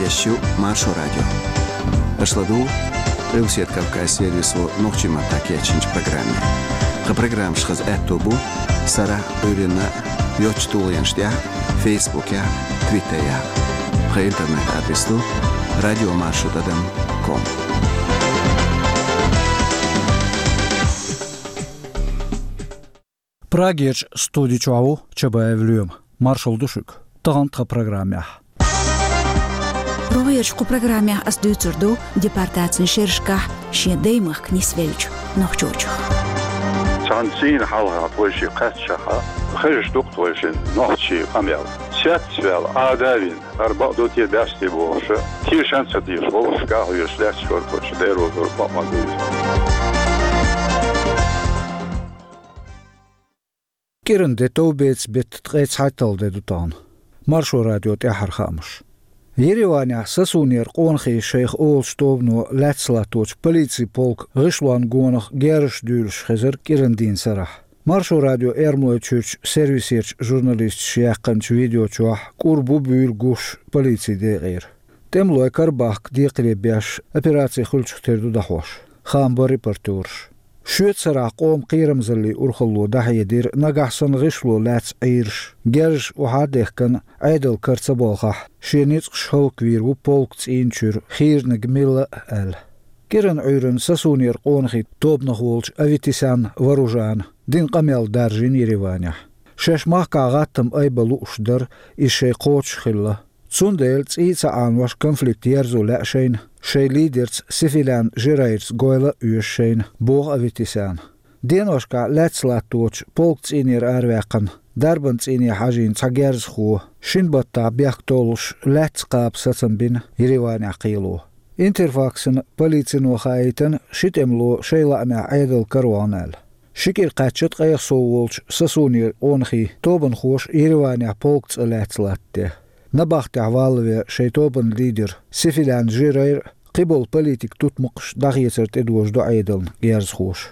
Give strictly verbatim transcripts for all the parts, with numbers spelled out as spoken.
Шу Маршо радио. Аша ладугӀу Къилбаседа Кавказан сервисо нохчийн маттахь кечйинчу программе. Тхан программаш хаза аьтто бу сарахь а, Ӏуьйранна а йоцачу тулгӀенаш тӀехь а, Фейсбукехь а, Твиттерехь а. Тхан интернет-адрес ду радио маршо тӀадам ком. Прагерчу студи чохь ву Чабаев Лоьма. Маршалла ду шуьга. Тахана тхан программехь. РогӀерчу кху программехь ас дуьйцур ду депортацин шерашкахь шен даймахка нисвеллачу нохчочух. Цхьана цӀийнан хьалха тхойшиъ кхаьччахьа, хезаш ду-кх тхойшинна нохчийн къамел. Цецваьлла, Ӏада а вина, хӀара бакъ ду те, баьсса те бохуш, тешам а ца тешаш, вовшашка а хьоьжуш лаьтташ вара тхойшиъ, Дела везар, бакъ ма ду иза. КӀиранан де товбеца беттан ткъе цхьайтталгӀа де ду тахана. Маршо радион тӀаьххьара хаамаш. Ереванехь Сасунера къонахий шайх олучу тобано лаьцна латточу полицин полкан гӀишлонна гонах герзаш дуьйлуш хезара кӀиранан дийнан сарахь. Маршо радион Эрмалойчуьрчу сервисерчу журналисташа яьккхинчу видео чохь кӀур бу буьйлу гуш полицин декъера. ТӀемалой Карабахка декхаре беш операци хуьлучух тера ду дӀахьош. Хаам бара репортёраша. Шоьтан сарахь къоман кхерамзаллин урхалло дӀахьедира, нагахь санна гӀишло лаьцна Ӏийраш, герзаш охьа а дехкина, Ӏедалан кара ца болхахь, шен ницкъаш хӀаллаквийр ву полкан цӀийнан чуьра хийраниг милла а аьлла. КӀиранан Ӏуьйранна Сасунера къонахий тобанах волчу Аветисян Варужана дина къамел даржийна Ереванехь. Шаьш махкахь гӀаттам айбан лууш дара, иза шайн кхочуш хилла. Цундела цӀий а ца Ӏанош конфликт ерзо лаьа шайна, шайн лидерца Сефилян Жерайрца гойла а оьшу шайна, боху Аветисяна. Деношкахь лаьцна латточу полкан цӀийнера араваьккхина, дарбан цӀийне хьажийна цхьа герзахо, шина баттахь бехк толлуш, лаьцна кхаба сацам бина Ереванехь кхело. Интерфаксана полицино хаийтина, ши тӀемало шайн лаамехь Ӏедалан кара вахана аьлла. Ши кӀира кхаьчна ткъех сов волчу Сасунера къонахий тобанхоша Ереванехь полкан цӀа лаьцна латтаде. Набахтехь валлаве шайн тобанан лидер Сефилян Жерайр а, кхиболу политикан тутмакхаш а дӀахецар тӀедожадо Ӏедална герзахоша.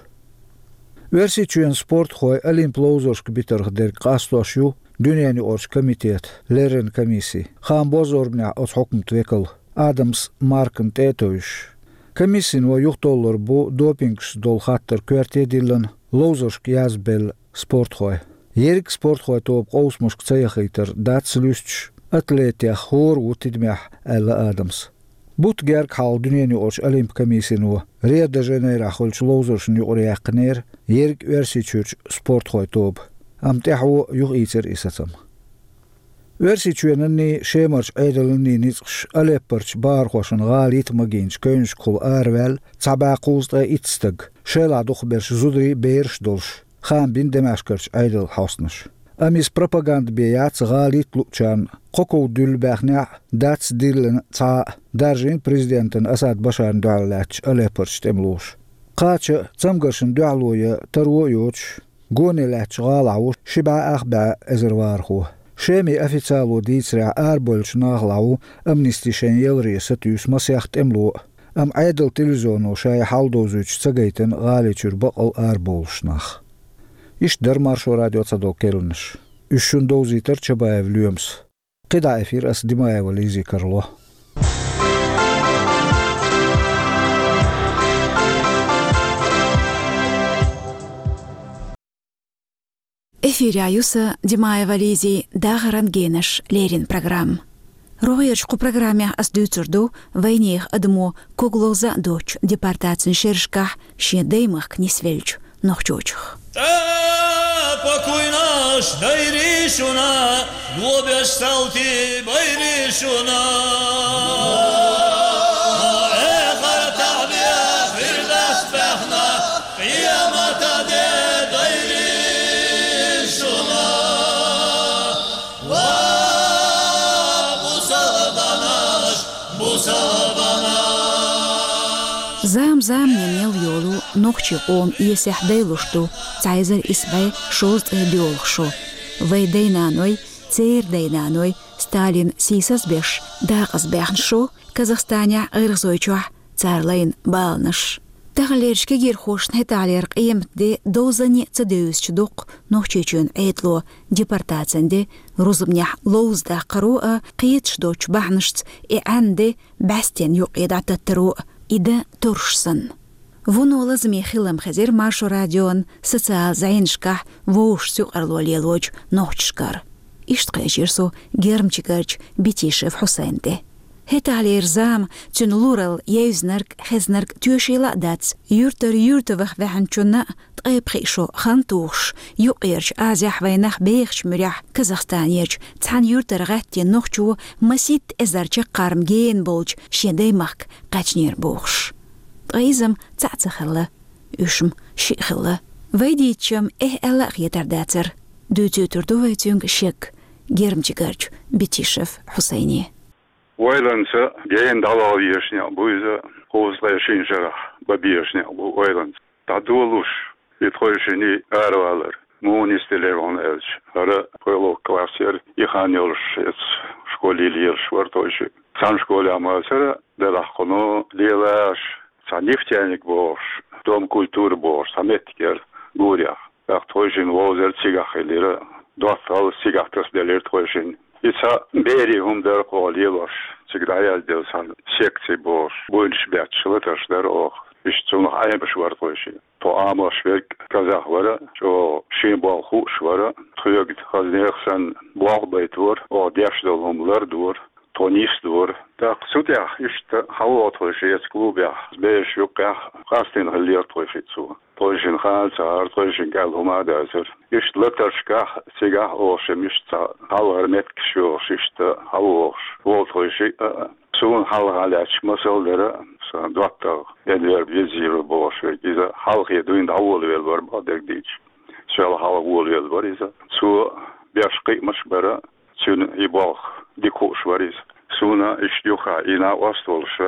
Оьрсийчоьнан спортхой Олимпан ловзаршка битарх дерг къастош ю дуьненаюкъарчу комитетан леррина комисси, хаам бо зорбанехь оцу хьукматан векал Адамс Маркна тӀе а тевжаш. Комиссино юхатоллур бу допингашца долу хаттар коьрте диллина, ловзаршка язбелла спортхой. Ерриг а спортхой тоба къовсамашка ца яхийтар дац луьстуш, атлетех хӀора ву тидамехь, аьлла Адамс. Бутт гергга хьалха дуьненаюкъарчу Олимпан комиссино Рио-де-Жанейрохь хуьлучу ловзаршна юкъара яьккхинера ерриг Оьрсийчуьрчу спортхой тоба, амма тӀаьхьо юхаийцира и сацам. Оьрсийчоьнанний, Шемарчу Ӏедаланний ницкъаш Алеппорчу бахархошна гӀала йита магийначу кевнашкахула араваьлла цхьа бӀе кхузткъе итт стаг, шайлахь дукхахберш зударий а, бераш а долуш, хаам бина Дамаскарчу Ӏедалан хьостанаша. Амма иза пропаганда бен яц гӀала йита луучарна, кхо ков дуьллу баьхнехь а, дац диллина цхьа а, даржийна президентана Асад Башарна дуьхьал лаьттачу Алеппорчу тӀемалоша. Кхача а, цамгаршна дуьхьало ян таро а йоцуш, гоне лаьттачу гӀалахь ву ши бӀе ах бӀе эзар вахархо. Шеман официало дийцарехь, арабевллачу нахалахь ву амнисти шайн яларе сатуьйсу масех тӀемало а, амма Ӏедалан телевизионо шаьш хьал довзуьйтуш ца гайтина гӀали чуьра баккъал арабовлуш нах. Иштта дара Маршо радион цхьадолу керланаш. Уьш шуна довзийтира Чабаев Лоьмас. КхидӀа эфир ас, Димаева Лизи, карло. Эфирехь ю сан, Димаева Лизи, дахаран генаш леррина программа. РогӀерчу кху программехь ас дуьйцур ду вайнехан адамо коглаза а доцучу депортацин шерашкахь шен даймахка нисвеллачу нохчочух. ТӀаккха куйнаш дайри шуна, лобеш салтий байри шуна. Эхартахь беш Фирдавс баьхна, къематан де дайри шуна. Ва бусалбанаш, бусалбанаш! Зам-заманна мел йолу нохчийн къоман эсехь дайлуш ду цхьа эзар исс бӀе шовзткъе доьалгӀа шо. Вайн дай-наной, церан дай-наной Сталин сийсаз беш декъазбаьхна шо, Казахстанехь, ГӀиргӀазойчохь цара лайна баланаш. Таханлерчу кегийрхошна хӀетахьлера къематде довзане а ца девзачу доккху Нохчийчоьнан Ӏедало, депортацин де, рузбанехь ловза даккхаро а, кхеташ доцчу бахьанашца и Ӏаьнан де бӀаьстенна юккъе дӀататтаро а, и дан турш санна. Вуно лазаме хилам хезира Маршо радион социал зӀенашкахь вовшашца юкъарло лелочу нохчашкара. Иштта кхечира со Гермчигарчу Бетишев Хьусайна тӀе. ХӀетахьлера зама, цуьнан луралла евзинарг, хезнарг тоьшийла а дац, юьртара юьрта ваха ваьхьначунна а ткъе пхиъ шо хан тухуш, Юккъерчу Азехь вайнах бехачу муьрехь Казахстанерчу цхьана юьртара гӀаьттина нохчо масийтта эзар чаккхарма гена болчу шен даймахка кхаьчнера бохуш. Ткъа иза-м цхьаъ ца хилла, уьш-м шиъ хилла. Вай дийцича-м, эхь аьлла а хетар дацара. Дуьйцуьйтур ду вай цуьнга шек Гермчигарчу Бетишев Хьусайне. Ойланца гена дӀавала везаш некъ бу иза, кхузткъе шина шарахь бан безаш некъ бу ойланца. ДӀадолалуш и тхойшинна аравалар, муха нисделира хьуна аьлча, хӀара тхоьлух класс яра, и хан йолуш эца школе лелаш вара тхойшиъ. Цхьана школехь ма яцара, делахь кхуьнан лелаш, цхьа нефтяник бохуш, дом культуры бохуш, цхьа меттиг яра гурехь. ТӀаккха тхойшинна вовзар цигахь хилира, доттагӀалла цигахь тасаделира тхойшинна. И цхьа берийн хӀума дара кху оха лелош, цига дӀаязделла цхьана секций бохуш, буйнаш бетташ латарш дара оха. Иштта цунах Ӏемаш вара тхойшиъ. Тхо Ӏамош верг казах вара, чӀогӀа шен болх хууш вара, тхоьга хаза нехан санна болх а байтора, оха деш долу хӀума лардора. Тхо нисдора. ТӀаккха цу тӀехь иштта хьан вогӀу тхойшиъ эца клубехь, бераш юккъехь къастийна хиллера тхойшиъ цо. Тхойшинна хана ца хьара, тхойшинга аьлла хӀума а дацара. Иштта латаршкахь, цигахь а оха шимма иштта цхьа хьалхара меттигаш йохуш, иштта хьан вогӀуш волу тхойшиъ а. Суна хьалха лаьтташ масал дара, сан доттагӀа Энвер Везиров бохуш верг, иза хьалхе дуьйна дӀаволавелла вара, бакъдерг дийцича. Сол хьалха волавелла вара иза. Цо беш кхиамаш бара, цуьнан и болх дика хууш вара иза. Суна иштта юххехь и накъост а волуш,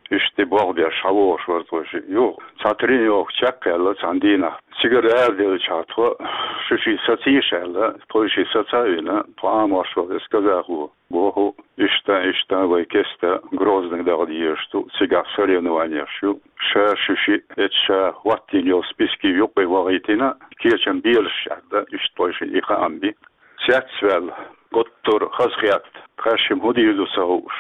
иштта и болх беш хьан вогӀуш вара тхойшиъ. Юха цхьа тренировка чекхъяьлла цхьана дийнахь. Цигара араделлачохь тхо шу шиъ сацийша аьлла, тхойшиъ саца а вина, тхо Ӏамош вара эца казахо. Боху, иштта, иштта вай кеста Грозный даха дезаш ду, цигахь соревнованеш ю. Ша шу шиъ эца ша хӀоттийна йолу списки юккъе вахийтина, кечам белаш аьлла, иштта тхойшинна и хаам би. Цецваьлла, гуттар а хазахетта, тхаьш шимма хӀун дийр ду ца хууш.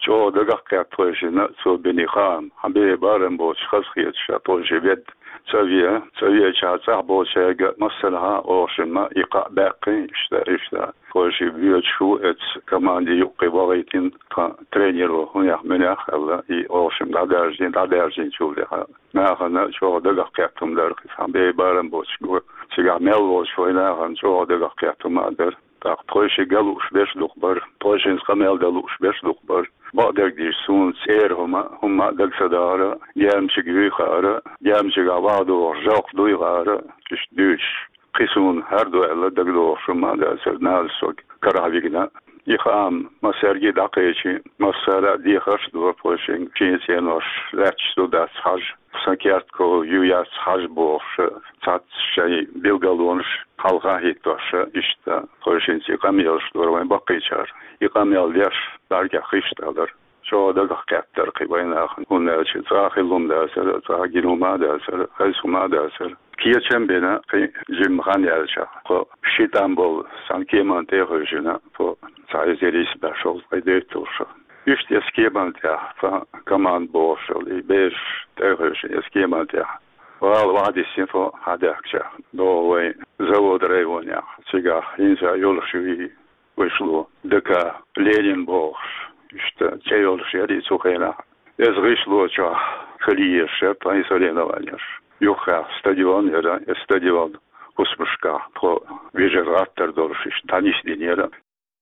ЧӀогӀа дагах кхетта тхойшинна цо бина хаам, хьан бен барам боцуш хазахеташ тхойшиъ ведда. ЦӀа ве, цӀа веача цӀахь болчаьрга массанхьа оха шимма и кхаъ баьккхина, иштта, иштта. Тхойшиъ боьдуш ву эца команди юккъе вахийтина тхан тренеро, хӀунех-муьнех аьлла, и оха шимма дӀадаьржина, дӀадаьржинчул тӀаьхьа. Нахана чӀогӀа дагах кхетта хӀума дара, хьан бен барам боцуш го. Цигахь мел волчу вай нахана чӀогӀа дагах кхетта хӀума а дара. ТӀаккха тхойшиъ ган лууш берш дукха бара, тхойшинца къамел дан лууш берш дукха бара. Бакъдерг дийцича, суна цӀера хӀума, хӀумма а дага ца дахара, Гермчиг юй хаьара, Гермчигахь вахадогӀуш жалкх дуй хаьара, иштта дуьйцуш. Кхин суна хӀара ду аьлла дагадогӀуш хӀумма а дацара, нана сога карахь вигна. И хаам массаьрга а дӀакхечи, массара а дехарш а дора тхойшинга, шен цӀенош лаьтташ ду дац хьажа. Сан керт ков ю яц хьажа бохуш, цхьацца шайн билгалонаш хьалха а хӀиттош, иштта тхойшинца и къамелаш дора вайн баккхийчара. И къамел деш, бӀаьргех хиш а далара. ЧӀогӀа дагах кхеттара кхин вайн нахана, хӀунда аьлча цӀа хилла хӀума дацара, цӀа гина хӀума а дацара, хеза хӀума а дацара. Кечам а бина, кхин жимма хан яьлчахь, тхо ши тӀам болу цхьана кеманна тӀе а хевшина, тхо цхьа эзар исс бӀе шовзткъе дейтталгӀа шо. Иштта эца кеманна тӀехь, цхьа команда бохуш йолу, и бераш тӀе а хевшина эца кеманна тӀехь. ГӀала охьадиссина тхо хьадаьхкича, догӀу вайн завод районехь, цигахь хӀинца йолуш ю и гӀишло, ДК Ленин бохуш, иштта цӀе йолуш яра и цу хенахь. Эцу гӀишло чохь хила езаш яра тхайн соревнованеш. Юххехь стадион яра, эцу стадион хӀусамашкахь тхо вежарий гӀаттар долуш иштта дӀанисдинера.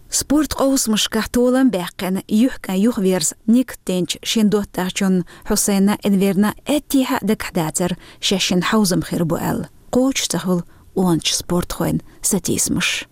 Спорт къовсамашкахь толам а баьккхина, юьхькӀайн юхаверза никат динчу шен доттагӀчунна Хьусайнна а, Энверна а аьттехьа а дагахь дацара, шаьшшинна хьовзам хир бу аьлла. Кхочуш ца хуьлу къоначу спортхойн сатийсамаш.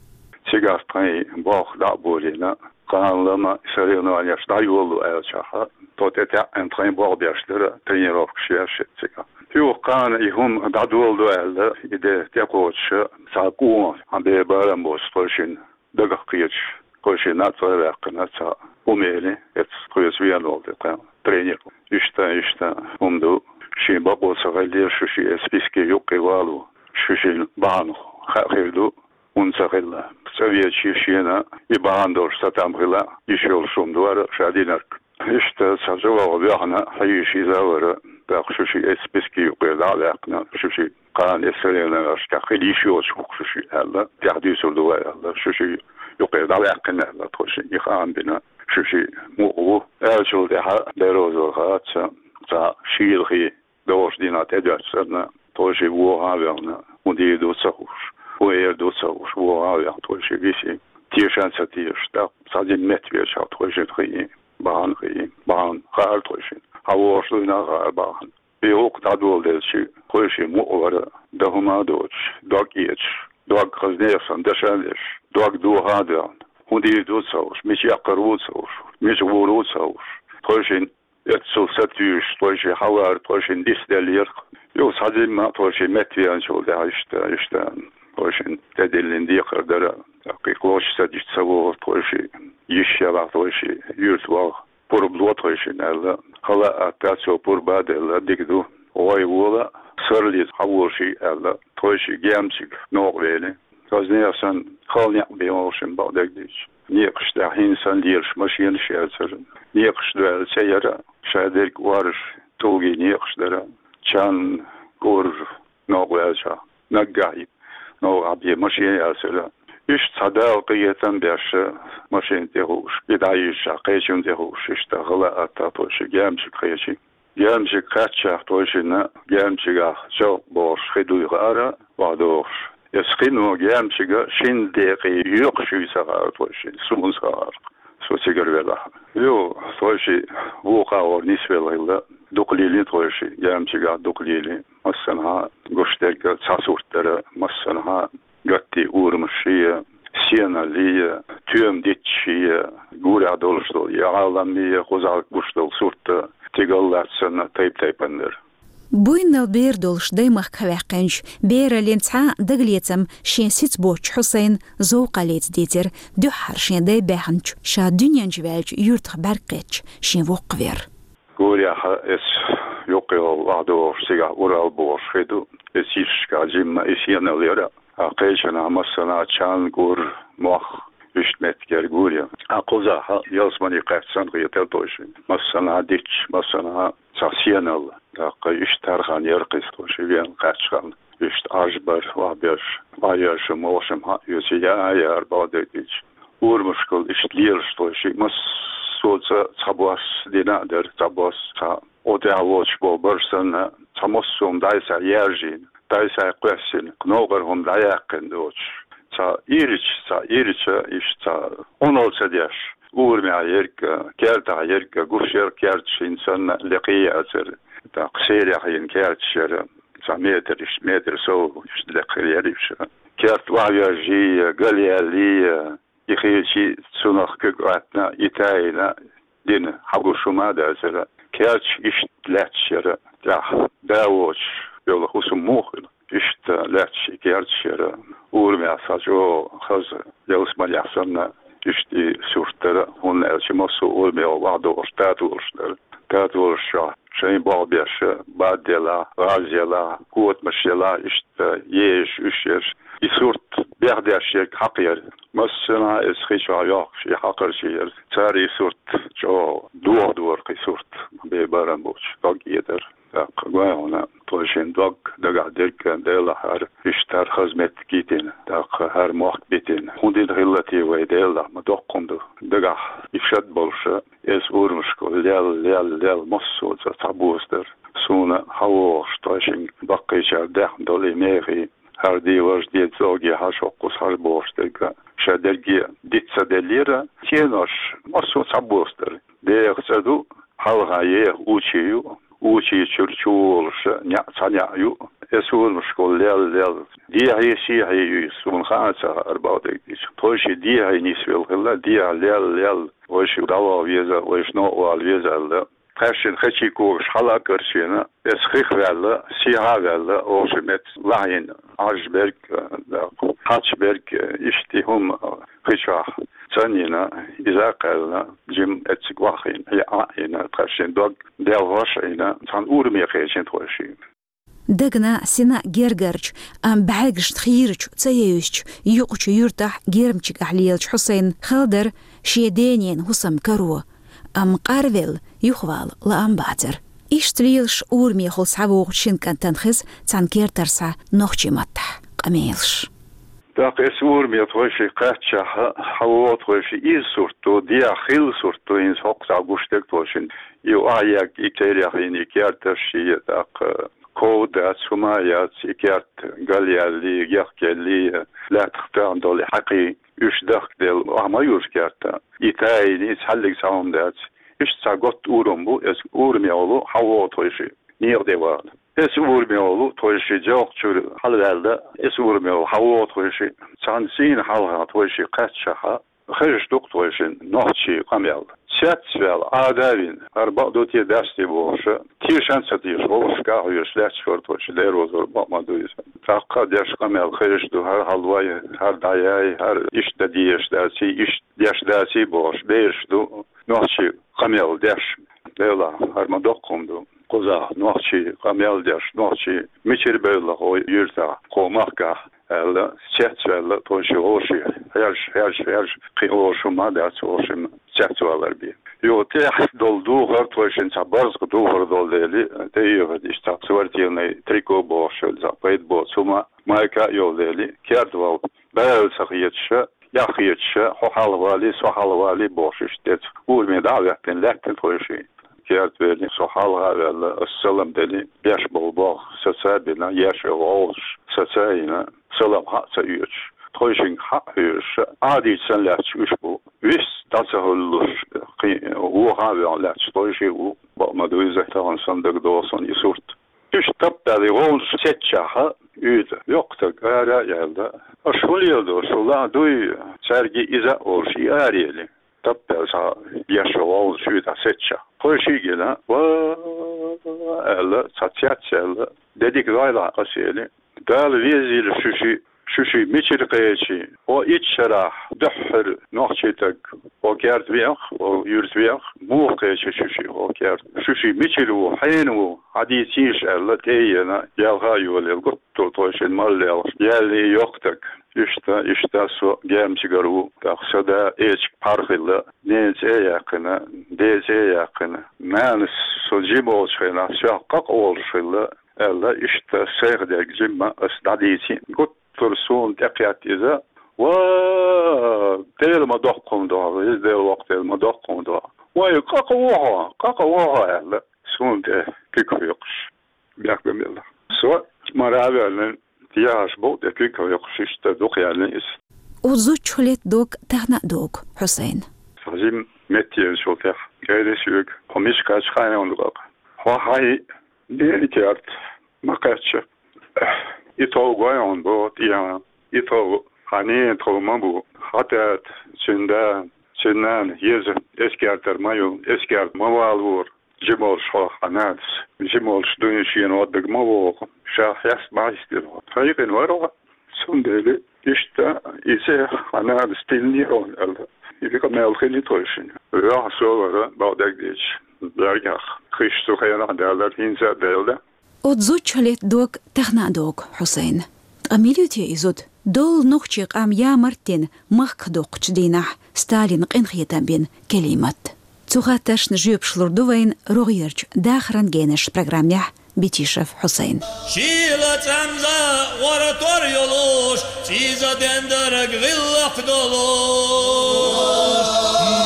Цигахь тхайн болх дӀа а болийна, кхана лама соревнованеш дӀайолалу аьллачохь, тхо тӀетаьӀӀина тхайн болх беш дара, тренировкаш еш цигахь. Юха кхана и хӀума дӀадоладо аьлла, и де тӀекхочуш, цхьа къона, хьан бен барам боцу тхойшинна дагах кхеташ, тхойшинна а цӀа а ваьккхина, цхьа хӀума эли, эцу тхоьца вена волу тхан тренер. Иштта, иштта хӀума ду. Шен бакъо ца хилла, шу шиъ эс списке юккъе вало, шу шин бахьан хаа хир ду, хӀунда ца хилла. ЦӀа веача шена и бахьан долуш цатам хила йиш йолуш хӀума ду хӀара ша динарг. Иштта цхьа чӀогӀа ваьхна хьийзаш иза а вара, тӀаккха шу шиъ эс списке юккъера дӀа а ваьккхина, шу шиъ кхана эс сарелашкахь хила йиш йоцуш ву-кх шу шиъ аьлла, тӀаьхьа дуьйцур ду вай аьлла, шу шиъ юккъера дӀаваьккхина аьлла, тхо шиъ и хаам бина, шу шиъ мукъа ву. Аьллачул тӀаьхьа Дела розалла хаа ца, цхьа шийлахи догӀуш дийнахь тӀедоьттича санна, тхойшиъ вогӀа а ваьхна, хӀун дийр ду ца хууш, хӀун эр ду ца хууш, вогӀа а ваьхна, тхойшиъ виси. Тешан ца тешаш, тӀаккха цхьа дина меттавеача тхойшинна хии, бахьана хии, бахьана хаьара тхойшинна. Хьан вогӀуш дуйна а хаьара бахьана. И гӀуллакх дӀадоладелча, тхойшиъ мукъа вара, дан хӀума а доцуш, дог эцаш, дог хаза нехан санна дашан а деш, дог дохьа а доьгӀна, хӀун дийр ду ца хууш, мича эккхар ву ца хууш, мича гӀур ву ца хууш, тхойшинна эццул сатуьйсуш, тхойшиъ хьавар, тхойшинна дицделлера. Юха цхьа дина а тхойшиъ меттавеанчул тӀаьхьа иштта, иштта, тхойшинна тӀедиллина декхар дара. ТӀаккха и кхочуш ца дича ца вогӀура тхойшиъ, йиш ялахь тхойшиъ, юьрта ваха, пурба ло тхойшинна аьлла. Хала а атта цо пурба а делла, дика ду. ГӀой вола, сарралца хьаволуш вий аьлла, тхойшиъ Гемчига новкъа вели. Хаза нехан санна, хала некъ бен вовшийн бакъдерг дийцича. Некъаш тӀехь хӀинца санна лелаш машенаш яцара. Некъаш дуьйла ца яра, шадерг ораш, тӀулгий некъаш дара. Чан, кӀур, новкъа ваьлча, наггахь новкъахь бен машен яцара. Иштта цхьа Дала къинхетам беш машен тӀе хууш, и дӀайижча кхечунна тӀе хууш, иштта хала а атта тхойшиъ Гемчига кхечи. Гемчиг кхаьччахь тхойшинна, Гемчигахь чӀогӀа бохуш хи дуй хаьара, охьадогӀуш. Эс хино Гемчига шина декъе йоькхуш юй ца хаьара тхойшинна, суна ца хаьара. Со цигара велахь. Ю, тхойшиъ вукху агӀор нисвелла хилла, дукха лелийна тхойшиъ, Гемчигахь дукха лелийна. Массанхьа гуш дерг цхьа сурт дара, массанхьа гаттий урамашший, сеналлий, тоьма дитташший, гурехь долуш долу и Ӏаламмий, кхузахь гуш долу сурт, тигал лаьцна тайп-тайпана дара. Буйннал бер долуш даймахка ваьккхинчу бераллин цхьа дагалецам шен сица боцчу Хьусайн зовкхаллица дийцира дуьххьара шен дай баьхначу, ша дуьнен чу ваьллачу юьртах бӀаьрг кхеттачу шен воккхавер. Гурехь эс юккъехула охьадогӀуш, цигахь Урал бохуш хи ду, эс йишка жимма и сеналла яра, а кхечанхьа массанхьа чан, гур, мох, иштта меттиг яра гуре. А кхузахь ялсамани кхаьчча санна хетара тхойшинна. Массанхьа дитташ, массанхьа цхьа сеналла. ТӀаккха иштта хӀара хан яра кхуза тхойшиъ вен кхаьчча хан. Иштта Ӏаж бар, охьаберш, охьаерш, мохшам хьаоьцу, яа яра бакъдерг дийцича. Урамашкахула иштта лелаш тхойшиъ, массо а цӀа цхьабосса дина а дара, цхьабосса цхьа. Оцу тӀехь воцуш болу барш санна, цхьа массо а хӀума дӀасаяржийна, дӀасакхоьссина, новкъара хӀума дӀаяьккхина доцуш. Цхьа ирча, цхьа ирча, иштта цхьа Ӏуналла ца деш, урамехь ерг, кертахь ерг, гуш яра керташ, хӀинца санна лекха яцара. ТӀаккха серех йина керташ яра, цхьа метр, иштта метр сов, иштта лекха яра уьш. Керт охьавоьжжий, галъяьллий, и хилчий цунах куьг Ӏоьттина, и тайна дина, хьагуш хӀума а дацара. Керташ иштта лаьтташ яра, тӀехь да воцуш йолу хӀусам муха хуьлу. Иштта лаьтташ и керташ яра. Урамехь цхьа чӀогӀа хаза, ялсаманехь санна, иштта и сурт дара, хӀунда аьлча массо а урамехула охьадогӀуш татолаш дара. Татолаш чохь шайн болх беш, бад елахь, гӀаз елахь, котамаш елахь, иштта езаш, уьш ерш. И сурт бехдеш ерг хьакха яра. Массанхьа эс хи чохь йохкуш и хьакхарчий яра. Цара и сурт чӀогӀа дохадора, кхин сурт бен барам боцуш, дог эцара. ТӀаккха гой хьуна, тхойшинна дог дагахь дерг Делахь хӀара, иштта хӀара хаза меттиг йитина, тӀаккха хӀара мохк битина. ХӀун дина хилла те вай, Делахь ма доккха хӀума ду. Дагахь и шад болуша, эс урамашкахула лел, лел, лел, массо а цӀа цхьабосса дара. Суна хьавогӀуш тхойшинга баккхийчара даьхна долу и мехий, хӀара де важа де цӀогге хьажа хӀокхуза хьажа бохуш дерг, ша дерриге диц ца деллера, цӀенош массо а цхьабосса дара. Деха цӀа ду, хьалха еха учи ю, учи чуьра чу волуша неӀ, цхьа неӀ ю. Эс урамашкахула лел, лел. Дехьий, сехьий юй, суна хаа ца хаьара бакъдерг дийцича. Тхойшиъ дехьий нисвелла хилла, дехьа лел, лел. Вайша дӀаваха веза, вайша новкъа вала веза аьлла. Тхаьшшинна хечий когаш хьала а карчийна, эс хих ваьлла, сехьа а ваьлла, вовшийн меттиг лахьийна, Ӏаж берг, хьач берг, иштта и хӀума хи чохь цӀанйина, иза а кхаьллина, жимма эцциг охьахиъна, хье Ӏа а йина, тхаьшшинна дог делхош Ӏийна, цхьана ураме кхечина тхойшиъ. Дагна, сина гергарчу, амма бӀаьргашна хийрачу ца евзачу юкъачу юьртахь Гермчигахь лелачу Хьусайнна хала дара шен дененан хӀусам каро, амма къарвелла юхавала лаам бацара. Иштта лелаш урамехула схьавогӀучу шина кӀантана хеза цхьана кертара схьа нохчийн маттахь къамелаш. ТӀаккха эс ураме тхойшиъ кхаьччахь, хьан вогӀу тхойшиъ иза сурт ду, дехьа хилла сурт ду, хӀинца хӀокху схьа гуш дерг тхойшинна. И охьаегга, и кхерехь йина, и керташ, и тӀаккха ков дац, хӀума яц, и керт галъяьллий, яхкаеллий, лаьттах тоьхна долу и хьакхий, уьш дахкаделла, охьа ма юьржу керта. И тайна, и цхьаьллиг цхьа хӀума дац. Иштта цхьа готта урам бу, эс ураме волу хьан вогӀу тхойшиъ некъа тӀе вала. Эс ураме волу тхойшиъ Джовкачуьра хьалаваьлла, эс ураме волу хьан вогӀу тхойшиъ, цхьана сийна хьалха тхойшиъ кхаьччахьа, хезаш ду-кх тхойшинна нохчийн къамел. Цецваьлла, Ӏада а вина, хӀара бакъ ду те, дац те бохуш, тешан а ца тешаш, гӀовгӀашка а хьоьжуш лаьтташ вара тхойшиъ, дера вазор бакъ ма ду иза. ТӀаккха деш къамел хезаш ду, хӀара хьалавай, хӀара дӀаяй, хӀара иштта дан дезаш даций, иштта деш даций бохуш, бераш ду нохчийн къамел деш. Делахь, хӀара ма доккха хӀума ду. Кхузахь нохчийн къамел деш, нохчий мичара бевлла хӀокху юьртахь, кху махкахь, аьлла, цецваьлла, тхойшиъ вовшийн хьержа, хьержа, хьержа, кхин вовшийн хӀума дац, вовшийн цецвалар бен. Юха тӀехь долу духар тхойшинна цхьа барзакъа духар долу дели, тӀеоьхуьйту иштта цхьа спортивный трико бохуш, цхьа пайда боцу хӀума, майка а йолу дели, керда вала, бала ца хеташ, эхь хеташ, хьо хьалха валий, со хьалха валий бохуш, иштта тӀе ураме дӀа а ваьккхина, лаьттина тхойшиъ. Керта велий, со хьалха а ваьлла, ас салам делий, беш болу болх саца а бина, еш йолу гӀовгӀаш саца а йина, салам хьа а ца оьцуш, тхойшинга хьа а хьоьжуш, Ӏадийча санна лаьтташ уьш бу. Вист дӀа ца хӀуьллуш, кхин вохьа а ваьхьна лаьтташ тхойшиъ ву, бакъ ма ду иза, тахана санна дагадогӀу суна и сурт. Уьш таппаьлла гӀовгӀанаш сецчахьа, уьйтӀа йоккха стаг ара а яьлла: «Аша хӀун леладо, шу лаа дуй, цаьрга иза а олуш, и ара ели?» Таппаьлла цхьа еш гӀовгӀанаш уьйтӀа сецчахь, тхойшиъ гина, ва аьлла, цхьа цец аьлла, де дика дойла аса ели. Дала везийла шуьшиъ, шуьшиъ мичара кхечи, хӀо итт шарахь дуьххьара нохчий стаг хӀо керта веха, хӀо юьрта веха, муха кхечи шуьшиъ хӀо керта? Шуьшиъ мичара ву, хьенан ву, хьадийцийша аьлла, тӀе а еана, ялха а йолаелла, гуттар а тхойшинна мала лелхаш, яьлла и йоккха стаг. Иштта, иштта со Гермчигара ву, тӀаккха сан да эчиг пхьар хилла, ненан цӀе а яьккхина, ден цӀе а яьккхина. Нанас со жима волчу хенахь соьх къа-къа волуш хилла, аьлла, иштта сайх дерг жимма ас дӀадийци, гуттар а суна тӀекхетта иза: «Ва, Дела ма доккха хӀума ду хьо, иза Дела воккха, Дела ма доккха хӀума ду хьо. Вай, къа-къа ву хьо, къа-къа ву хьо», аьлла, суна тӀе куьг хьоькхуш, бехк бан белла. Со мара а ваьлла, тӀехьаш бу тӀе куьг хьоькхуш, иштта дукха яьлла иза. Оцу зудчух летта дог тахана а догу, Хьусайн. Хьажим меттаенчул тӀаьхьа гайра соьга: «Хьо мича кхаьчча хаьий хьуна, къа-къа? Хьо хьайн ненан керта ма кхаьчча, и тов гой хьуна боху тӀехьа, и тов хьан ненан тов ма бу, хьан тата, цуьнан да, цуьнан нана еза эскертара ма ю, эскерта ма валавора». Жима волуш хьо хьан нанас, жима волуш дуьйна шена гӀо дага ма вогӀу, ша хьеста ма хьистира хьо. Хьекъина вара хьо, цундела иштта и цӀе хьан нанас тиллинера хьуна аьлла. И къамел хили тхойшинна. Ваьхьа со вара, бакъдерг дийцича, бӀаьргех. Кхиш цу хенахь даьллара, хӀинца а даьлла. Оцу зудчух летта дог тахана а догу, Хьусайн. Ткъа мила ю те и зуда? Долу нохчийн къам ямарттина махках доккхучу дийнахь Сталина къинхетам бина Келимат. Цу хаттаршна жоьпаш лур ду вайна рогӀерчу «Дахаран генаш» программехь Битишев Хьусайн. Шийла цӀанза гӀора тор йолуш, цӀийза дендара гӀиллакх долуш,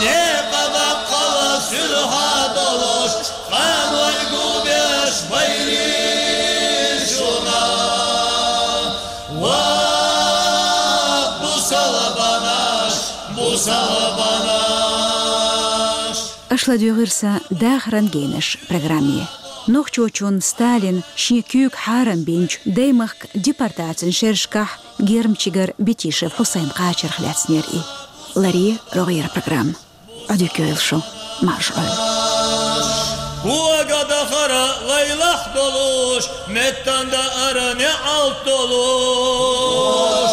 некъа баккхала суьлхьа долуш, къаман гулбеш байри шуна. Ва бусалбанаш, бусалбанаш! Аша ладуьйгӀира сан «Дахаран генаш» программе. Нохчочунна Сталина шен куьйга хьарам бинчу даймахка депортацин шерашкахь Гермчигара Битишев Хьусайн кхачарх лаьцнера и. Ларъе рогӀера программа. Ӏодика йойла шу, марша Ӏойла. Кога дахара лайлахь долуш, меттан даара неӀалт долуш.